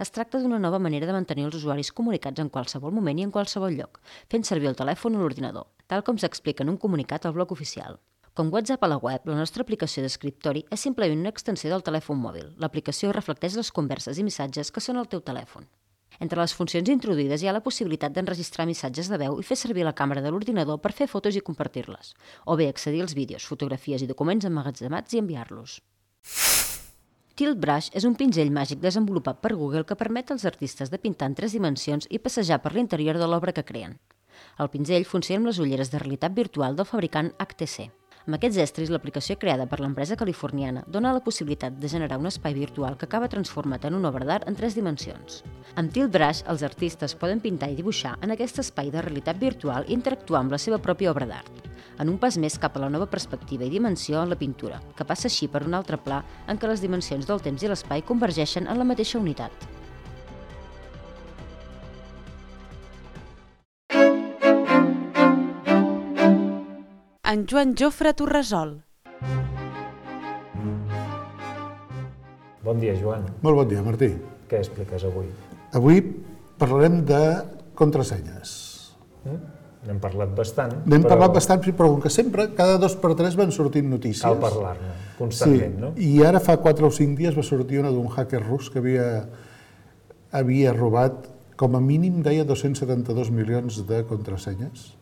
Es tracta d'una nova manera de mantenir els usuaris comunicats en qualsevol moment i en qualsevol lloc, fent servir el telèfon o l'ordinador, tal com s'explica en un comunicat al blog oficial. Com WhatsApp a la web, la nostra aplicació d'escriptori és simplement una extensió del telèfon mòbil. L'aplicació reflecteix les converses i missatges que són al teu telèfon. Entre les funcions introduïdes hi ha la possibilitat d'enregistrar missatges de veu i fer servir la càmera de l'ordinador per fer fotos i compartir-les, o bé accedir als vídeos, fotografies i documents emmagatzemats i enviar-los. Tilt Brush és un pinzell màgic desenvolupat per Google que permet als artistes de pintar en 3 dimensions i passejar per l'interior de l'obra que creen. El pinzell funciona amb les ulleres de realitat virtual del fabricant HTC. Amb aquests estris, l'aplicació creada per l'empresa californiana dona la possibilitat de generar un espai virtual que acaba transformat en una obra d'art en 3 dimensions. Amb Tilt Brush, els artistes poden pintar i dibuixar en aquest espai de realitat virtual i interactuar amb la seva pròpia obra d'art, en un pas més cap a la nova perspectiva i dimensió en la pintura, que passa així per un altre pla en què les dimensions del temps i l'espai convergeixen en la mateixa unitat. En Joan Jofre Torresol. Bon dia, Joan. Molt bon dia, Martí. Què expliques avui? Avui parlarem de contrasenyes. N'hem parlat bastant. N'hem parlat bastant, però com que sempre, cada 2 per 3 van sortint notícies. Cal parlar-ne constantment, no? I ara fa 4 o 5 dies va sortir una d'un hacker rus que havia robat, com a mínim, deia 272 milions de contrasenyes.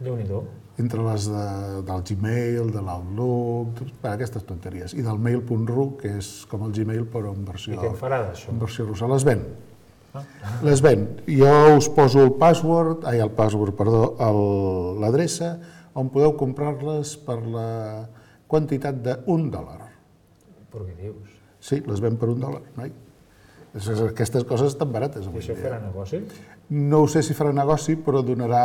Déu-n'hi-do. Entre les del Gmail, de l'Outlook, aquestes tonteries. I del mail.ru, que és com el Gmail, però en versió... I què en farà d'això? En versió russa. Les ven. Les ven. Jo us poso l'adreça on podeu comprar-les per la quantitat d'$1. Però què dius? Sí, les ven per $1, noi. Aquestes coses estan barates. I això farà negoci? No ho sé si farà negoci, però donarà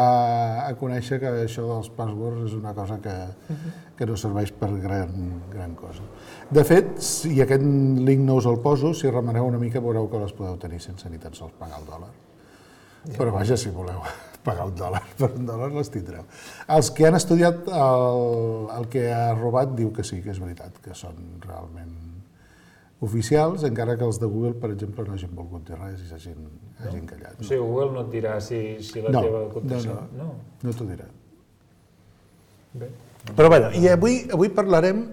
a conèixer que això dels passwords és una cosa que no serveix per gran cosa. De fet, i aquest link no us el poso, si remeneu una mica veureu que les podeu tenir sense ni tan sols pagar el $1. Però vaja, si voleu pagar $1 per $1 les tindreu. Els que han estudiat el que ha robat diu que sí, que és veritat, que són realment oficials, encara que els de Google, per exemple, no hagin volgut dir res i s'hagin callat. O sigui, Google no et dirà si la teva contrasenya... No t'ho dirà. Bé. Però bé, i avui parlarem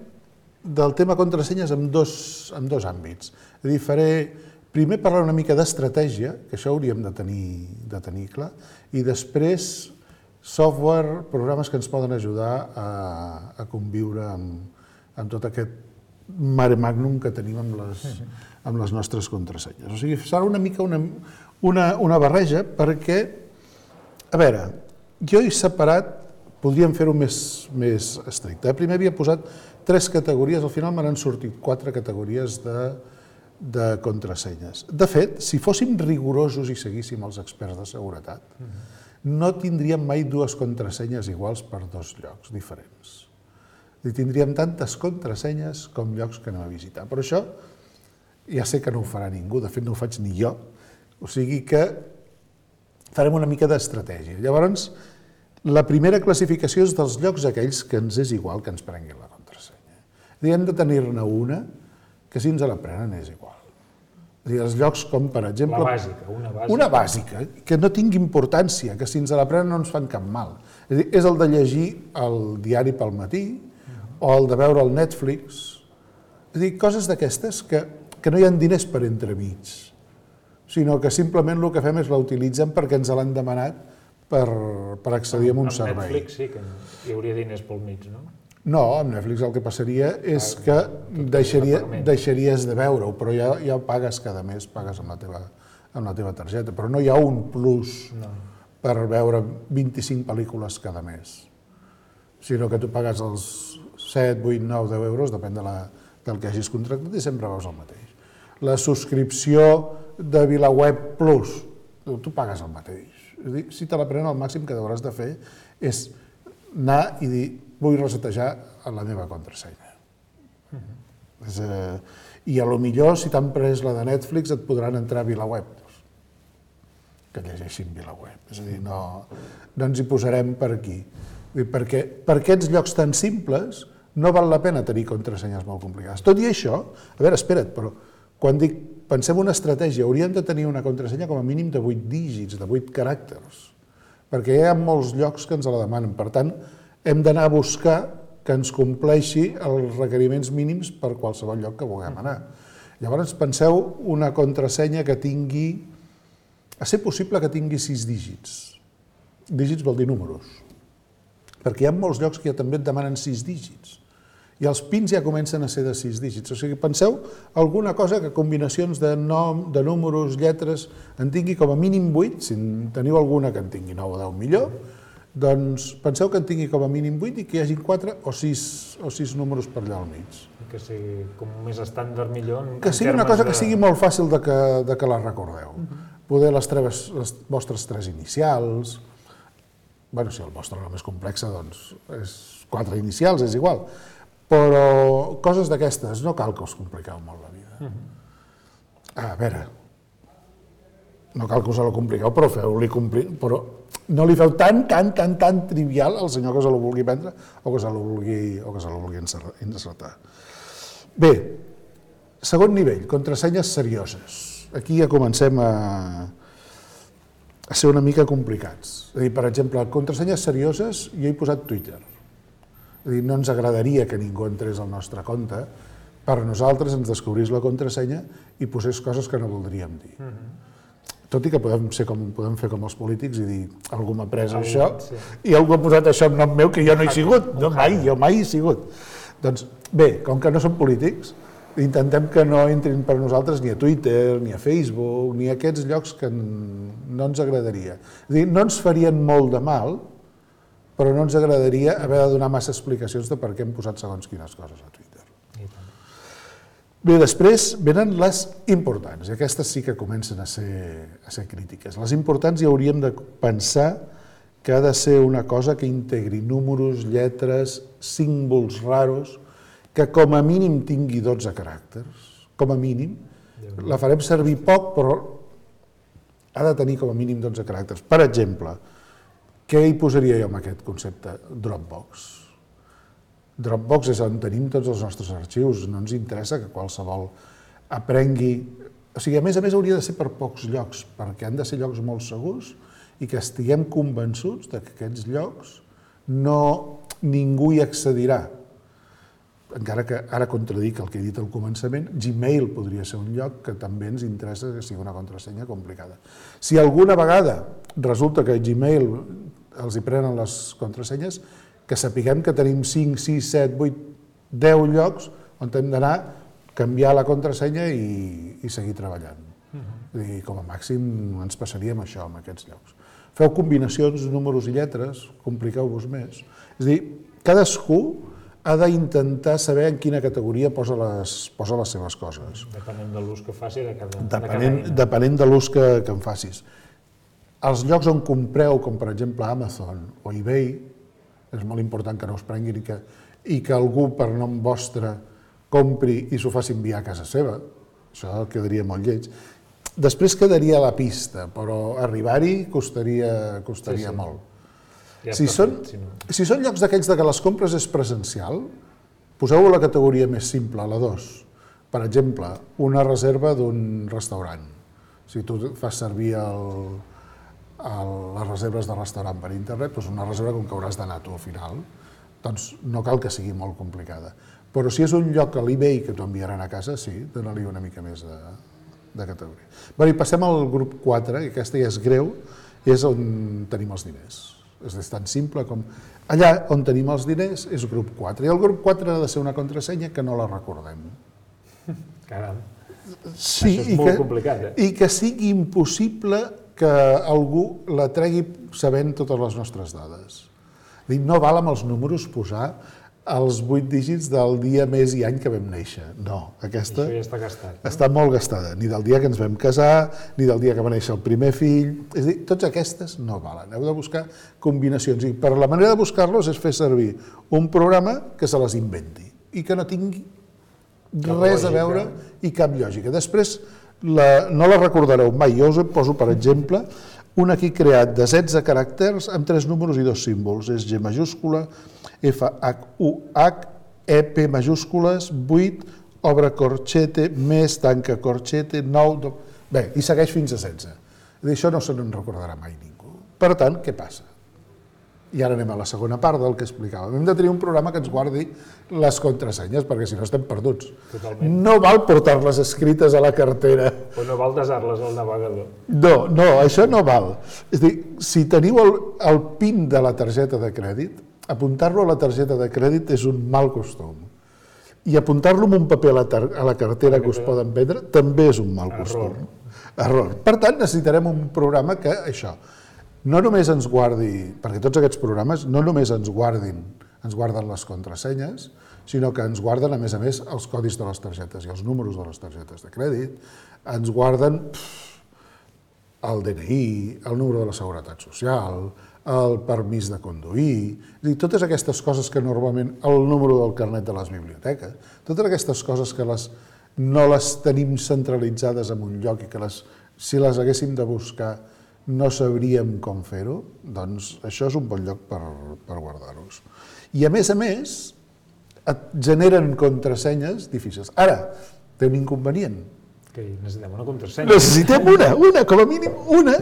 del tema contrasenyes en dos àmbits. És a dir, primer parlar una mica d'estratègia, que això hauríem de tenir clar, i després software, programes que ens poden ajudar a conviure amb tot aquest mare magnum que tenim amb les nostres contrasenyes. O sigui, serà una mica una barreja perquè, a veure, jo he separat, podríem fer-ho més estricte. Primer havia posat 3 categories, al final me n'han sortit 4 categories de contrasenyes. De fet, si fóssim rigorosos i seguíssim els experts de seguretat, no tindríem mai 2 contrasenyes iguals per 2 llocs diferents. Tindríem tantes contrasenyes com llocs que anem a visitar. Però això ja sé que no ho farà ningú, de fet no ho faig ni jo, o sigui que farem una mica d'estratègia. Llavors, la primera classificació és dels llocs aquells que ens és igual que ens prenguin la contrasenya. Hem de tenir-ne una que si ens la prenen és igual. És a dir, els llocs com, per exemple... Una bàsica, que no tingui importància, que si ens la prenen no ens fan cap mal. És el de llegir el diari pel matí, o el de veure el Netflix, és a dir, coses d'aquestes que no hi ha diners per entremig, sinó que simplement el que fem és la utilitzem perquè ens l'han demanat per accedir a un servei. Amb Netflix sí que hi hauria diners pel mig, no? No, amb Netflix el que passaria és que deixaries de veure-ho, però ja ho pagues cada mes, pagues amb la teva targeta, però no hi ha un plus per veure 25 pel·lícules cada mes, sinó que tu pagues els 7, 8, 9, 10 euros, depèn del que hagis contractat i sempre veus el mateix. La subscripció de VilaWeb Plus, tu pagues el mateix. És a dir, si te la prenen, el màxim que hauràs de fer és anar i dir vull resetejar la meva contrasenya. I a lo millor, si t'han pres la de Netflix, et podran entrar a VilaWeb, que llegeixin VilaWeb. És a dir, no ens hi posarem per aquí. Perquè per aquests llocs tan simples no val la pena tenir contrasenyes molt complicades. Tot i això, a veure, espera't, però quan dic pensem una estratègia, hauríem de tenir una contrasenya com a mínim de 8 dígits, de 8 caràcters, perquè hi ha molts llocs que ens la demanen. Per tant, hem d'anar a buscar que ens compleixi els requeriments mínims per qualsevol lloc que vulguem anar. Llavors, penseu una contrasenya que tingui, a ser possible que tingui 6 dígits. Dígits vol dir números, perquè hi ha molts llocs que ja també et demanen 6 dígits. I els pins ja comencen a ser de 6 dígits. O sigui, penseu alguna cosa que combinacions de nom, de números, lletres, en tingui com a mínim 8, si en teniu alguna que en tingui 9 o 10 millor, doncs penseu que en tingui com a mínim 8 i que hi hagi 4 o 6 números per allà al mig. Que sigui com més estàndard millor. Que sigui una cosa que sigui molt fàcil de que la recordeu. Poder les vostres 3 inicials, bueno, si el vostre nom és complex, doncs és 4 inicials, és igual. Però coses d'aquestes, no cal que us compliqueu molt la vida. A veure, no cal que us la compliqueu, però feu-li complir, però no li feu tan trivial al senyor que se la vulgui prendre o que se la vulgui encertar. Bé, segon nivell, contrasenyes serioses. Aquí ja comencem a ser una mica complicats. És a dir, per exemple, contrasenyes serioses, jo he posat Twitter. És a dir, no ens agradaria que ningú entrés al nostre compte, per nosaltres ens descobrís la contrasenya i posés coses que no voldríem dir. Tot i que podem fer com els polítics i dir algú m'ha pres això i algú ha posat això en nom meu que jo no he sigut, jo mai he sigut. Doncs bé, com que no som polítics, intentem que no entrin per nosaltres ni a Twitter, ni a Facebook, ni a aquests llocs que no ens agradaria. És a dir, no ens farien molt de mal, però no ens agradaria haver de donar massa explicacions de per què hem posat segons quines coses a Twitter. Bé, després venen les importants, i aquestes sí que comencen a ser crítiques. Les importants hi hauríem de pensar que ha de ser una cosa que integri números, lletres, símbols raros, que com a mínim tingui 12 caràcters, com a mínim. La farem servir poc, però ha de tenir com a mínim 12 caràcters. Per exemple, què hi posaria jo amb aquest concepte? Dropbox. Dropbox és on tenim tots els nostres arxius, no ens interessa que qualsevol aprengui... O sigui, a més hauria de ser per pocs llocs, perquè han de ser llocs molt segurs i que estiguem convençuts que aquests llocs ningú hi accedirà. Encara que ara contradic el que he dit al començament, Gmail podria ser un lloc que també ens interessa que sigui una contrasenya complicada. Si alguna vegada resulta que Gmail els hi prenen les contrasenyes, que sapiguem que tenim 5, 6, 7, 8, 10 llocs on hem d'anar, canviar la contrasenya i seguir treballant. I com a màxim ens passaríem això amb aquests llocs. Feu combinacions, números i lletres, compliqueu-vos més. És a dir, cadascú ha d'intentar saber en quina categoria posa les seves coses. Depenent de l'ús que faci de cada Depenent de l'ús que en facis. Els llocs on compreu, com per exemple Amazon o eBay, és molt important que no us prenguin i que algú per nom vostre compri i s'ho faci enviar a casa seva. Això quedaria molt lleig. Després quedaria a la pista, però arribar-hi costaria molt. Si són llocs d'aquells que les compres és presencial, poseu-ho a la categoria més simple, a la 2. Per exemple, una reserva d'un restaurant. Si tu fas servir les reserves de restaurant per internet, doncs una reserva com que hauràs d'anar tu al final, doncs no cal que sigui molt complicada. Però si és un lloc a l'eBay que t'ho enviaran a casa, sí, dona-li una mica més de categoria. Bé, i passem al grup 4, i aquesta ja és greu, és on tenim els diners. És tan simple com... Allà on tenim els diners és grup 4, i el grup 4 ha de ser una contrasenya que no la recordem. Caram, sí, això és molt complicat, I que sigui impossible que algú la tregui sabent totes les nostres dades. No val amb els números posar els 8 dígits del dia, mes i any que vam néixer. No, aquesta això ja està gastat. Està molt gastada, ni del dia que ens vam casar, ni del dia que va néixer el primer fill. És a dir, totes aquestes no valen. Heu de buscar combinacions. I per la manera de buscar-los és fer servir un programa que se les inventi i que no tingui res a veure i cap lògica. Després, no la recordareu mai. Jo us poso, per exemple, un aquí creat de 16 caràcters amb 3 números i 2 símbols. És G majúscula, F, H, U, H, E, P majúscules, 8, obre corchete, més, tanca corchete, 9... Bé, i segueix fins a 16. Això no se n'en recordarà mai ningú. Per tant, què passa? I ara anem a la segona part del que explicàvem. Hem de tenir un programa que ens guardi les contrasenyes, perquè si no estem perduts. Totalment. No val portar-les escrites a la cartera. O no val desar-les al navegador. No, això no val. És a dir, si teniu el PIN de la targeta de crèdit, apuntar-lo a la targeta de crèdit és un mal costum. I apuntar-lo en un paper a la cartera que us poden vendre també és un mal costum. Error. Per tant, necessitarem un programa que això, no només ens guardi, perquè tots aquests programes no només ens guarden les contrasenyes, sinó que ens guarden, a més, els codis de les targetes i els números de les targetes de crèdit, ens guarden el DNI, el número de la Seguretat Social, el permís de conduir, és a dir, totes aquestes coses que normalment, el número del carnet de les biblioteques, totes aquestes coses que no les tenim centralitzades en un lloc i que si les haguéssim de buscar no sabríem com fer-ho, doncs això és un bon lloc per guardar-los. I a més, et generen contrasenyes difícils. Ara, té un inconvenient. Que necessitem una contrasenya. Necessitem una, com a mínim una,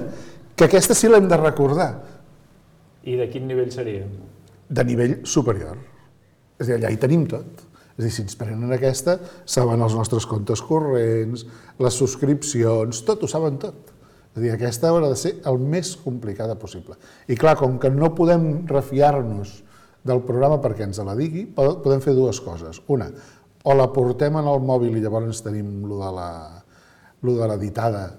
que aquesta sí l'hem de recordar. I de quin nivell seria? De nivell superior. És a dir, allà hi tenim tot. És a dir, si ens prenen aquesta, saben els nostres comptes corrents, les subscripcions, tot, ho saben tot. És a dir, aquesta haurà de ser el més complicada possible. I clar, com que no podem refiar-nos del programa perquè ens la digui, podem fer dues coses. Una, o la portem en el mòbil i llavors tenim lo de la ditada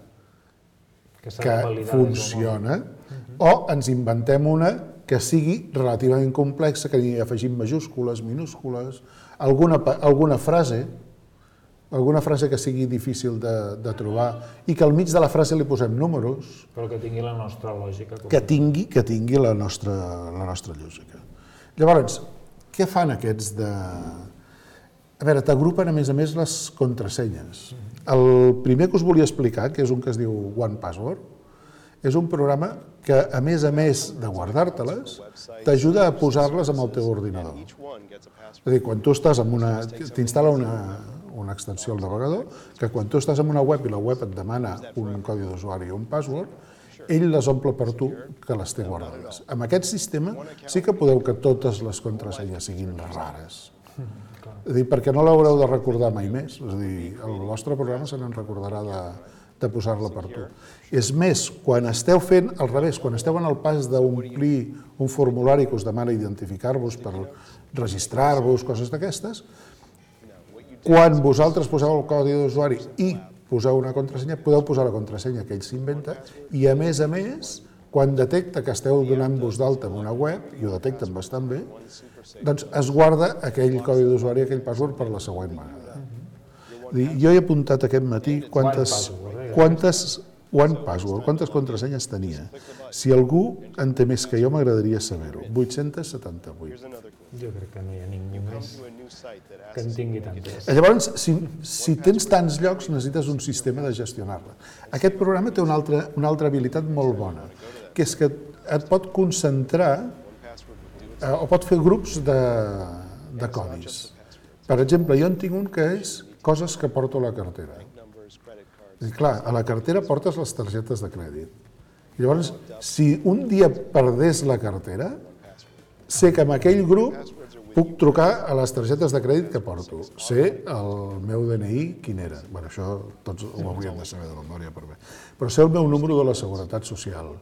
que funciona, o ens inventem una que sigui relativament complexa, que hi afegim majúscules, minúscules, alguna frase que sigui difícil de trobar i que al mig de la frase li posem números. Però que tingui la nostra lògica. Que tingui la nostra lògica. Llavors, què fan aquests de... A veure, t'agrupen a més les contrasenyes. El primer que us volia explicar, que és un que es diu OnePassword, és un programa que, a més de guardar-te-les, t'ajuda a posar-les amb el teu ordinador. És a dir, quan tu estàs t'instal·la una extensió al navegador, que quan tu estàs en una web i la web et demana un codi d'usuari o un password, ell les omple per tu, que les té guardades. Amb aquest sistema sí que podeu que totes les contrasenyes siguin rares. És a dir, perquè no l'haureu de recordar mai més. És a dir, el vostre programa se n'en recordarà de posar-la per tu. És més, quan esteu fent al revés, quan esteu en el pas d'omplir un formulari que us demana identificar-vos per registrar-vos, coses d'aquestes, quan vosaltres poseu el codi d'usuari i poseu una contrasenya, podeu posar la contrasenya que ell s'inventa i, a més, quan detecta que esteu donant-vos d'alta en una web, i ho detecten bastant bé, doncs es guarda aquell codi d'usuari, aquell password per la següent vegada. Jo he apuntat aquest matí quantes contrasenyes tenia. Si algú en té més que jo, m'agradaria saber-ho. 878. Jo crec que no hi ha ningú més que en tingui tantes. Llavors, si tens tants llocs, necessites un sistema de gestionar-la. Aquest programa té una altra habilitat molt bona, que és que et pot concentrar o pot fer grups de codis. Per exemple, jo en tinc un que és coses que porto a la cartera. I clar, a la cartera portes les targetes de crèdit. Llavors, si un dia perdés la cartera, sé que en aquell grup puc trucar a les targetes de crèdit que porto. Sé el meu DNI quin era. Bé, això tots ho hauríem de saber de memòria per bé. Però sé el meu número de la Seguretat Social.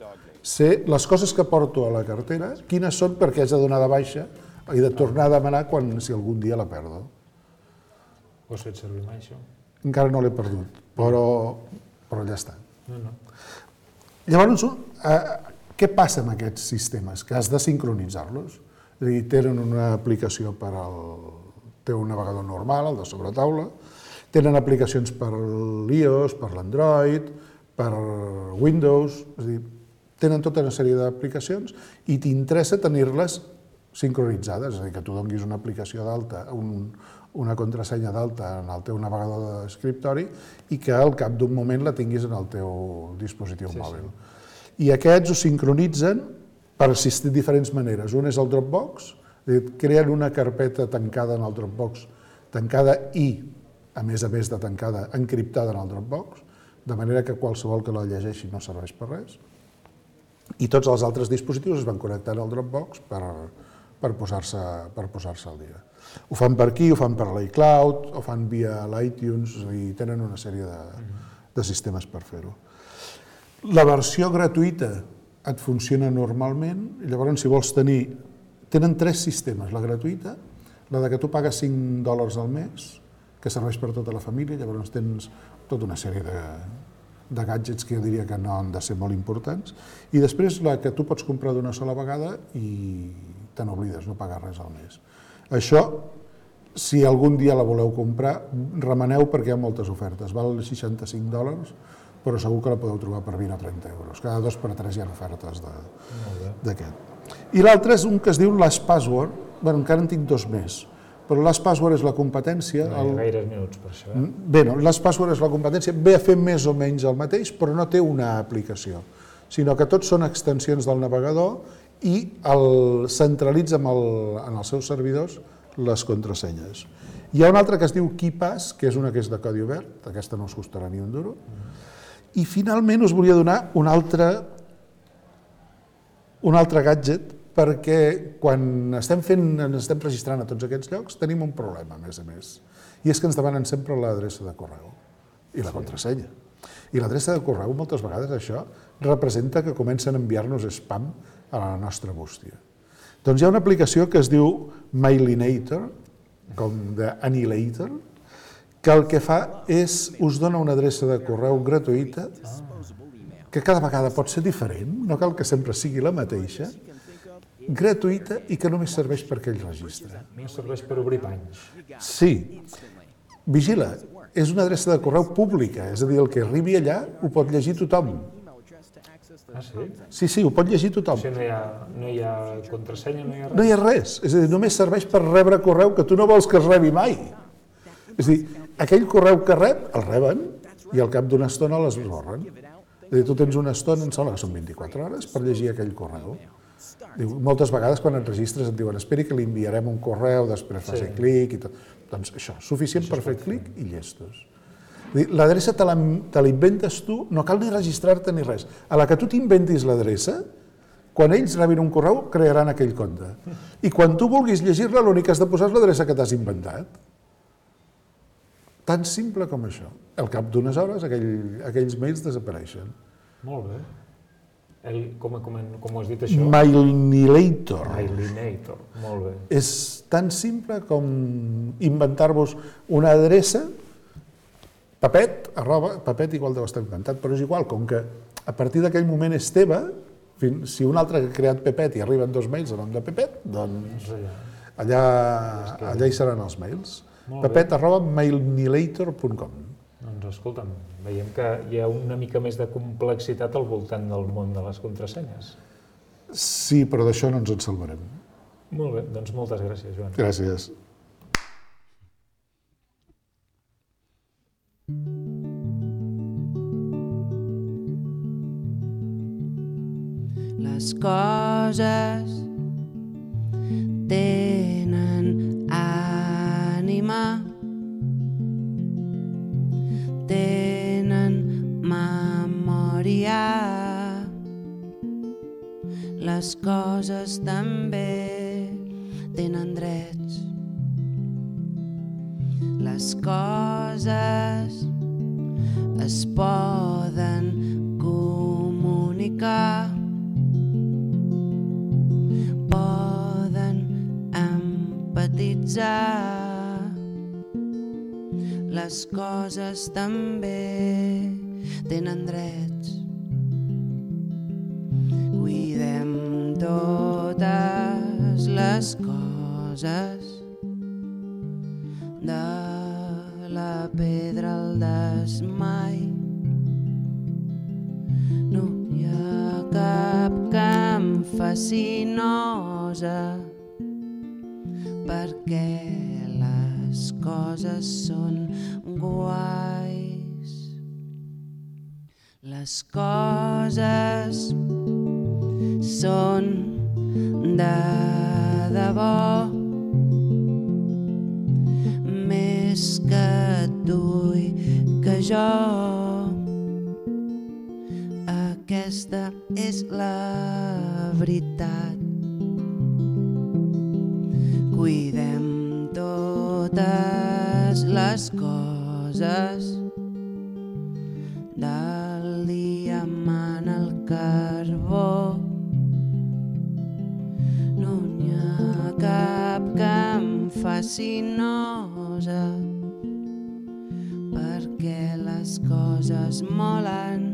Sé les coses que porto a la cartera, quines són perquè haig de donar de baixa i de tornar a demanar si algun dia la perdo. Ho has fet servir mai, això? Encara no l'he perdut, però ja està. Llavors, què passa amb aquests sistemes? Que has de sincronitzar-los. És a dir, tenen una aplicació per al teu navegador normal, el de sobretaula, tenen aplicacions per l'iOS, per l'Android, per Windows, és a dir, tenen tota una sèrie d'aplicacions i t'interessa tenir-les sincronitzades, és a dir, que tu donguis una aplicació d'alta, una contrasenya d'alta en el teu navegador d'escriptori i que al cap d'un moment la tinguis en el teu dispositiu mòbil. i aquests ho sincronitzen per assistir de diferents maneres. Un és el Dropbox, creen una carpeta tancada en el Dropbox, tancada i, a més de tancada, encriptada en el Dropbox, de manera que qualsevol que la llegeixi no serveix per res. I tots els altres dispositius es van connectar al Dropbox per posar-se al dia. Ho fan per aquí, ho fan per l'iCloud, ho fan via l'iTunes, és a dir, tenen una sèrie de sistemes per fer-ho. La versió gratuïta et funciona normalment, i llavors si vols tenir... Tenen 3 sistemes, la gratuïta, la de que tu pagues $5 al mes, que serveix per tota la família, llavors tens tota una sèrie de gadgets que jo diria que no han de ser molt importants, i després la que tu pots comprar d'una sola vegada i te n'oblides, no pagar res al mes. Això, si algun dia la voleu comprar, remeneu perquè hi ha moltes ofertes, val $65, però segur que la podeu trobar per 20 o 30 euros. Cada 2 per 3 hi ha ofertes d'aquest. I l'altre és un que es diu LastPassword, bueno, encara en tinc 2 més, però LastPassword és la competència... No hi ha gaires minuts per això. Bé, no, LastPassword és la competència, ve a fer més o menys el mateix, però no té una aplicació, sinó que tots són extensions del navegador i centralitza en els seus servidors les contrasenyes. Hi ha una altra que es diu KeePass, que és una que és de codi obert, aquesta no us costarà ni un duro, i finalment us volia donar un altre gadget, perquè quan estem registrant a tots aquests llocs tenim un problema, a més, i és que ens demanen sempre l'adreça de correu i la contrasenya. I l'adreça de correu, moltes vegades, això representa que comencen a enviar-nos spam a la nostra bústia. Doncs hi ha una aplicació que es diu Mailinator, com d'Annihilator, que el que fa és, us dona una adreça de correu gratuïta, que cada vegada pot ser diferent, no cal que sempre sigui la mateixa, gratuïta i que només serveix per aquell registre. No serveix per obrir panys. Sí. Vigila, és una adreça de correu pública, és a dir, el que arribi allà ho pot llegir tothom. Ah, sí? Sí, ho pot llegir tothom. O sigui, no hi ha contrasenya, no hi ha res? No hi ha res, és a dir, només serveix per rebre correu que tu no vols que es rebi mai. És a dir, aquell correu que rep, el reben i al cap d'una estona l'esborren. És a dir, tu tens una estona, em sembla que són 24 hores, per llegir aquell correu. Moltes vegades quan et registres et diuen esperi que li enviarem un correu, després faci clic i tot. Doncs això, suficient per fer clic i llestos. L'adreça te l'inventes tu, no cal ni registrar-te ni res. A la que tu t'inventis l'adreça, quan ells rebin un correu, crearan aquell compte. I quan tu vulguis llegir-la, l'únic que has de posar és l'adreça que t'has inventat. Tan simple com això. Al cap d'unes hores, aquells mails desapareixen. Molt bé. Com ho has dit això? Mailinator. Mailinator, molt bé. És tan simple com inventar-vos una adreça, Papet igual deu estar inventat, però és igual, com que a partir d'aquell moment és teva, si un altre ha creat Pepet i arriben 2 mails a nom de Pepet, doncs allà hi seran els mails. Pepet@mailinator.com. Doncs escolta'm, veiem que hi ha una mica més de complexitat al voltant del món de les contrasenyes. Sí, però d'això no ens en salvarem. Molt bé, doncs moltes gràcies, Joan. Gràcies. Les coses tenen ànima, tenen memòria. Les coses també tenen drets. Les coses es poden comunicar, poden empatitzar. Les coses també tenen drets. Cuidem totes les coses, de la pedra al desmai. No hi ha cap que em faci nosa, perquè les coses són guais. Les coses coses són de debò, més que tu i que jo. Aquesta és la veritat. Cuidem totes les coses del diamant al carbó. No n'hi ha cap que em faci nosa, perquè les coses molen